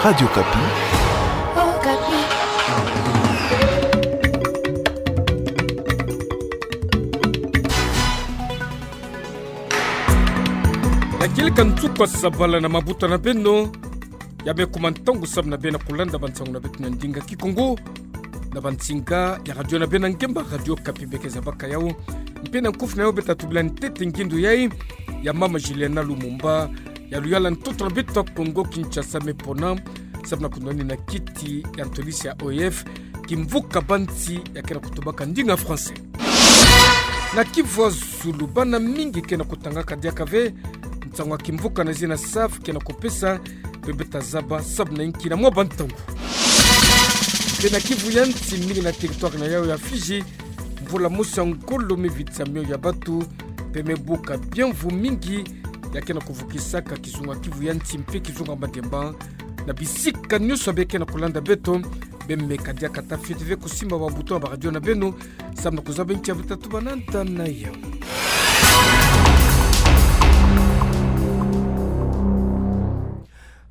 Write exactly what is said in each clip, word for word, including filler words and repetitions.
Radio Okapi. Ya kieleka nsuka sabala na mabuta na beno, ya me kuma ntangu sababu na beno kulanda bansango na beto na ndinga Kikongo, na bansinga ya radio na beno ya ngemba, Radio Okapi, beke zabaka yau. Mpe na nkufi na yau beta tubila ntete ngindo yai ya Mama Juliana Lumumba, ya luyala ntoto na beto Kongo Kinshasa me pona, sababu na kunwani na kiti ya ntolisi ya O I F, kimvuka ba nsi ya ke na kutubaka ndinga français. Na Kivu ya Zulu, bana mingi ke na kutangaka diaka ve nsango ya kimvuka na zina SAV ke na kupesa, mpe beta zaba sababu na inki na mwa bantangu. Mpe na Kivu ya Nsi, mingi na territoire na yau ya Fidji, mvula mosi ya ngolo me vitisa mio ya bato, mpe me buka biamvu mingi ya ke na kuvukisaka kizunga Kivu ya Nsi mpe kizunga Maniema, na bisika nyonso ya be ke na kulanda beto, be meka diaka ta fioti ve kusimba ba bouton ya ba radio na beno, sababu na kuzaba inki ya beta tuba na nta na yau.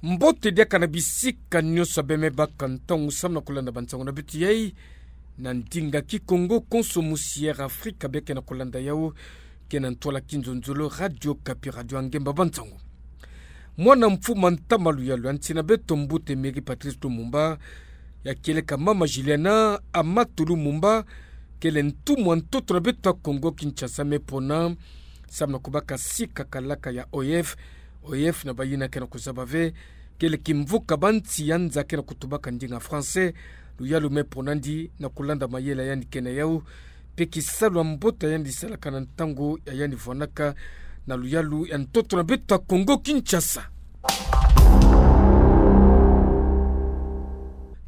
Mbote diaka na bisika nyonso ya be me baka ntangu sababu na kulanda bansango na beto yai na ndinga Kikongo, konso mosi ya Air Afrika be ke na kulanda yau, ke na ntwala kinzonzolo Radio Okapi, radio ya ngemba bansango. Mwana mfuma ntama luyalu ya nsi na beto, Mbuta Emery Patrice Lumumba, ya kieleka Mama Juliana Amato Lumumba, kele ntumwa ntoto na beto Kongo Kinshasa me pona, sababu na kubaka sika kalaka ya O I F. O I F na bayina ke na kuzaba ve, kele kimvuka ba nsi ya nza ke na kutubaka ndinga français, luyalu me pona ndi na kulanda mayela yandi ke na yau, mpe kisalu ya mbote yandi salaka na ntangu ya yandi vwanaka na luyalu ya ntoto na beto Kongo Kinshasa.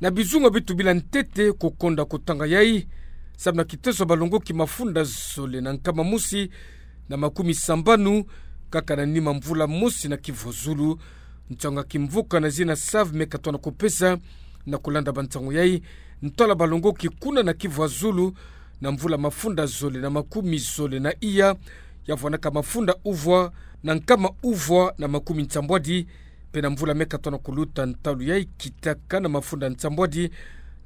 Na bizunga bi tubila ntete kukonda kutanga yai, sababu na kiteso ya balongoki mafunda zole na nkama mosi na makumi sambanu, kaka na nima mvula mosi na Kivu ya Zulu, nsango ya kimvuka na zina SAV me katoa na kupesa, na kulanda bansango yai, ntwala balongoki kuna na Kivu ya Zulu, na mvula mafunda zole na makumi zole na iya, ya vwanaka mafunda uvwa na nkama uvwa na makumi nsambwadi, mpe na mvula me katoa na kuluta ntalu yai kitaka na mafunda nsambwadi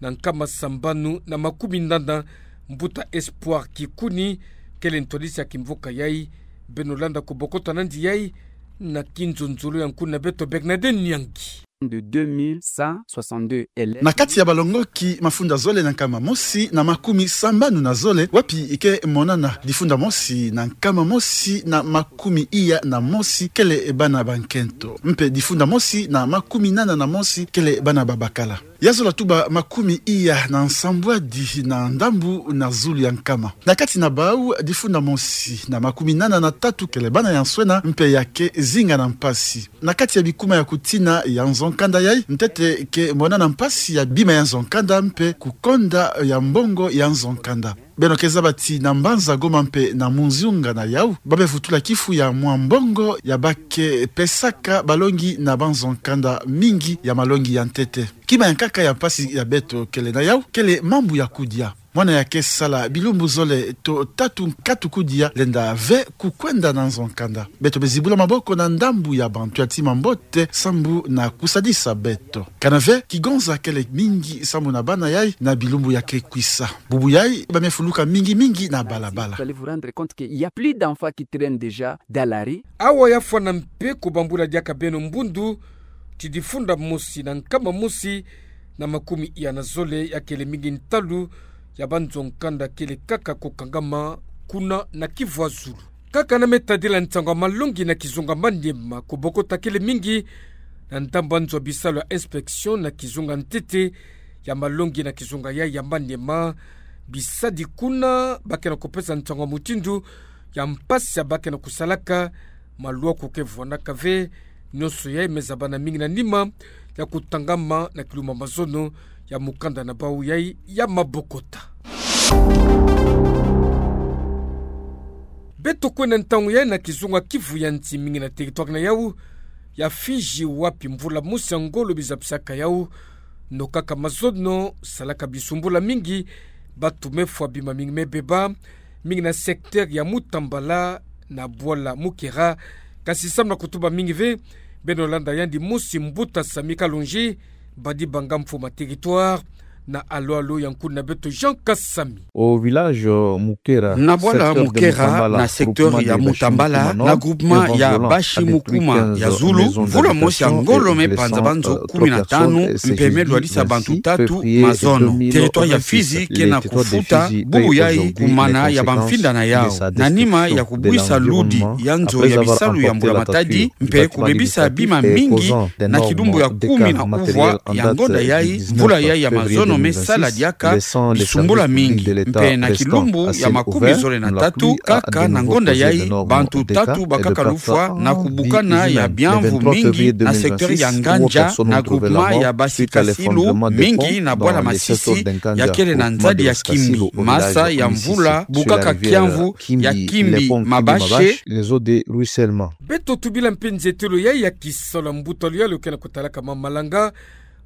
na nkama sambanu na makumi nana, Mbuta Espoir Kikuni, kele ntwadisi ya kimvuka yai, beno landa kubokota nandi yai na kinzonzolo ya nkuni na beto Bernadette Nyangi. De deux mille cent soixante-deux élèves. Na kati ya balongoki mafunda zole na nkama mosi na makumi sambanu na zole, wapi ke monana difunda mosi na nkama mosi na makumi iya na mosi kele bana ba nkento, mpe difunda mosi na makumi nana na mosi kele bana ba bakala. Ya zola tuba makumi iya na nsambwadi na ndambu na zulu ya nkama. Na kati na bau, difunda mosi na makumi nana na tatu kele bana ya nswena mpe ya ke zinga na mpasi. Na kati ya bikuma ya kutina ya nzo-nkanda yai, ntete ke monana mpasi ya bima ya nzo-nkanda mpe kukonda ya mbongo ya nzo-nkanda. Beno ke zaba ti na mbanza Goma mpe na munzunga na yau, ba me vutula kifu ya mwa mbongo ya ba ke pesaka balongi na banzo-nkanda mingi ya malongi ya ntete. Kima ya nkaka ya mpasi ya beto kele na yau, kele mambu ya kudia. Mwana ya ke sala bilumbu zole to tatu nkatu kudia lenda ve kukwenda na nzo-nkanda. Beto me zibula maboko na ndambu ya bantu ya tima mbote sambu na kusadisa beto. Kana ve kigonza kele mingi sambu na bana yai na bilumbu ya ke kwisa. Bubu yai ba me fuluka mingi mingi na balabala. Vous allez vous rendre compte qu'il y a plus d'enfants qui traînent déjà dans la rue. Awa ya fwana mpe kubambula diaka beno mbundu ti difunda mosi na nkama mosi na makumi iya na zole ya kele mingi ntalu ya banzo-nkanda kele kaka kukangama kuna na Kivu ya Zulu. Kaka na me tadila nsango ya malongi na kizunga Maniema, kubokota kele mingi na ndambu ya nzo ya bisalu ya inspection na kizunga ntete ya malongi na kizunga yai ya Maniema, bisadi kuna ba ke na kupesa nsango ya mutindu ya mpasi ya ba ke na kusalaka, malwa ku ke vwanaka ve, nyonso yai me zabana mingi na nima ya kutangama na kilumbu ya mazono ya mukanda na bau yai ya mabokota. Beto kwenda ntangu yai na kizunga Kivu ya Nsi, mingi na territoire na yau ya Fidji, wapi mvula mosi ya ngolo bizapisaka yau, nokaka mazono, salaka bisumbula mingi, batu me fwa, bima mingi me beba, mingi na secteur ya Mutambala na bwala Mukera, kasi samu na kutuba mingi ve, Beno landa yandi mosi, mbuta Sami Kalonji, badibanga mfuma territoire, na alo-alo ya nkundi na beto Jean Kasami. Au village, euh, Mukera, na bwala Mukera, na secteur ya Mutambala, na groupement ya Bashi Mukuma ya Zulu, mvula mosi ya ngolo me panza banzo kumi na tano, mpe me lwalisa bantu tatu mazono. Territoire ya Fizi kena kufuta bubu yayi kumana ya bamfinda na yawu. Na nima ya kubwisa ludi ya nzo ya bisalu ya mbula matadi, mpe kubebisa bima mingi, na kilumbu ya kumi na uvwa ya ngonda yayi, mvula yayi ya mazono me sala diaka bisumbula mingi, mpe na kilumbu ya makumi zole na tatu, kaka na ngonda yayi, bantu tatu bakaka lufwa na kubukana ya biamvu mingi na secteur ya Ngandja, na groupement ya Basikasilu, mingi na bwala Masisi, ya kele na nzadi ya Kimbi. Masa ya mvula bukaka kiamvu ya Kimbi Mabashe. Beto tubila mpe nzietelo yayi ya kisalu ya mbuta luyalu kena kutalaka ma malanga,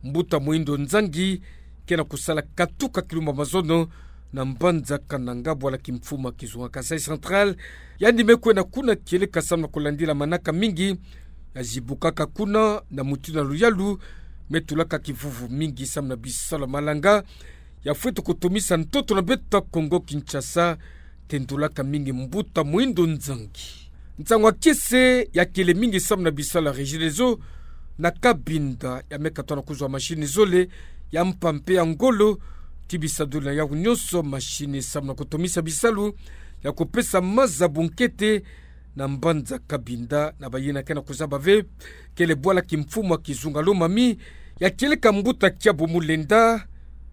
mbuta Moindo Nzangi, kena kusala katuka kilumbu ya mazono na mbanza Kananga, bwala kimfuma kizunga Kasaï Central. Yandi me kwenda kuna kieleka samu na kulandila manaka mingi ya zibukaka kuna, na mutindu ya luyalu me tulaka kivuvu mingi samu na bisalu ya malanga. Ya fweti kutumisa ntoto na beto ya Kongo Kinshasa, tendulaka mingi mbuta Moindo Nzangi. Nsangu ya kiese ya kele mingi samu na bisalu ya Regideso na Cabinda, ya me katuka na kuzwa mashini zole, ya mpa mpe ya ngolo, ti bisaduli na yawu nyonso, mashini samu na kutumisa bisalu ya kupesa maza bunkete na mbanza Cabinda, na bayina kena kuzaba ve, kele bwala kimfuma kizunga Lomami, ya kieleka mbuta Kiabo Mulenda,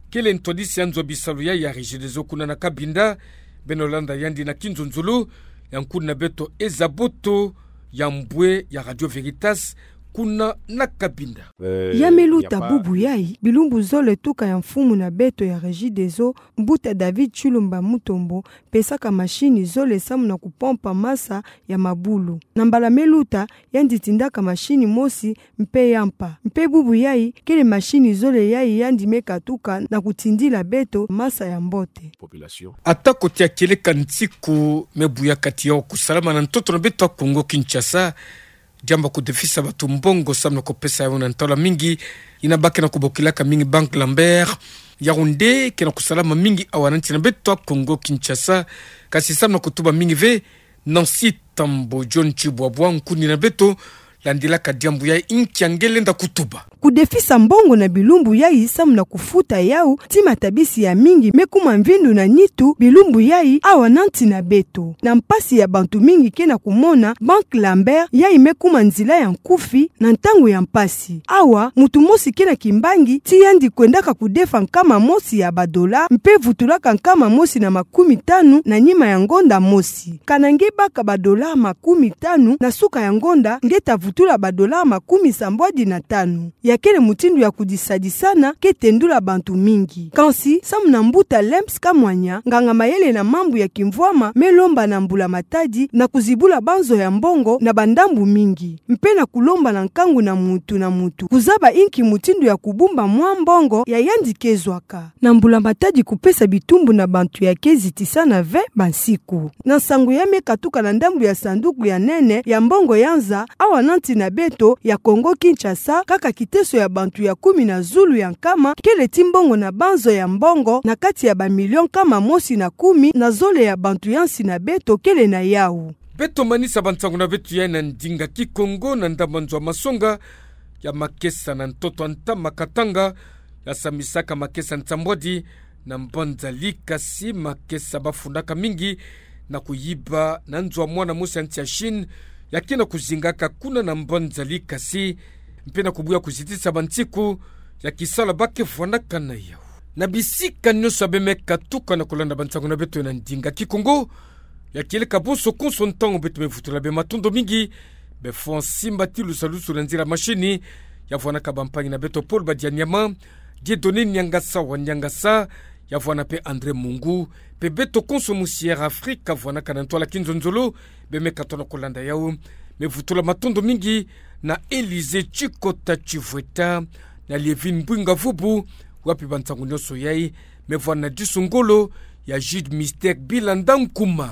kele ntwadisi ya nzo ya bisalu yayi ya Regideso kuna na Cabinda. Beno landa yandi na kinzonzolo ya nkundi na beto Eza Boto ya mbwe ya Radio Veritas, kuna na Cabinda. Ya me luta bubu yayi, bilumbu zole tuka ya mfumu na beto ya Regideso, mbuta David Chilumba Mutombo, pesaka mashini zole samu na kupompa masa ya mabulu. Na mbala me luta, yandi tindaka mashini mosi mpe ya mpa. Mpe bubu yayi, kele mashini zole yayi yandi me katuka na kutindila beto masa ya mbote. Population. Ata ko tia kieleka nsiku me buya kati yawu kusalama na ntoto na beto ya Kongo Kinshasa, diambu ya kudefisa bantu mbongo samu na kupesa yawu na ntwala mingi, yina ba kena kubokilaka mingi Banque Lambert. Yawu nde kena kusalama mingi awa na nsi na beto ya Kongo Kinshasa, kasi samu na kutuba mingi ve, Nancy Tambo John Chibwabwa, nkundi na beto, landilaka diambu yayi, nkia nge lenda kutuba. Kudefisa mbongo na bilumbu yayi samu na kufuta yawu, ti matabisi ya mingi me kuma mvindu na nitu bilumbu yayi awa na nsi na beto. Na mpasi ya bantu mingi kena kumona, Banque Lambert yayi me kuma nzila ya nkufi na ntangu ya mpasi. Awa, muntu mosi kena kimbangi, ti yandi kwendaka kudefa nkama mosi ya badola, mpe vutulaka nkama mosi na makumi tanu na nima ya ngonda mosi. Kana nge baka badola makumi tanu, na suka ya ngonda nge ta vutula badola makumi sambwadi na tanu. Ya kele mutindu ya kudisadisana ke tendula bantu mingi. Kansi, samu na mbuta Lems Kamwanya, nganga mayele na mambu ya kimvwama, me lomba na mbula Matadi na kuzibula banzo ya mbongo na bandambu mingi, mpe na kulomba na nkangu na muntu na muntu kuzaba inki mutindu ya kubumba mwa mbongo ya yandi ke zwaka. Na mbula Matadi kupesa bitumbu na bantu ya ke zitisana ve bansiku. Na nsangu ya me katuka na ndambu ya sanduku ya nene ya mbongo ya nza, awa na nsi na beto ya Kongo Kinshasa, kaka kiteso ya bantu ya kumi na zulu ya nkama kele ti mbongo na banzo ya mbongo na kati ya bamilio nkama mosi na kumi na zole ya bantu ya nsi na beto kele na yawu. Beto manisa bansangu na beto ya na ndinga Kikongo na ndambu ya nzo ya masonga ya makesa na ntoto ya ntama Katanga, ya sambisaka makesa nsambwadi na mbanza Likasi, makesa bafundaka mingi na kuyiba na nzo ya mwana mosi ya nsi ya Chine, ya kena kuzingaka kuna na mbanza Likasi, mpe na kubuya kuzitisa bansiku ya kisalu ba ke vwanaka na yawu. Na bisika nyonso be me katuka na kulanda bansangu na beto na ndinga Kikongo, ya kieleka bonso konso ntangu beto me vutula be matondo mingi, be fwa nsimba ti lusalusu na nzila mashini, ya vwanaka bampangi na beto Paul Badianyama, Dieudonné Niangasa wa Niangasa, ya vwana mpe André Mungu, mpe beto konso musi Air Afrique vwanaka na ntwala kinzonzolo, be me katuka na kulanda yawu. Me vutula matondo mingi na Élysée Chikota Chivweta, na Lievine Mbwinga Vubu, wapi bansangu nyonso yayi me vwana na disu ngolo ya Jude Mystère Bilanda Nkuma.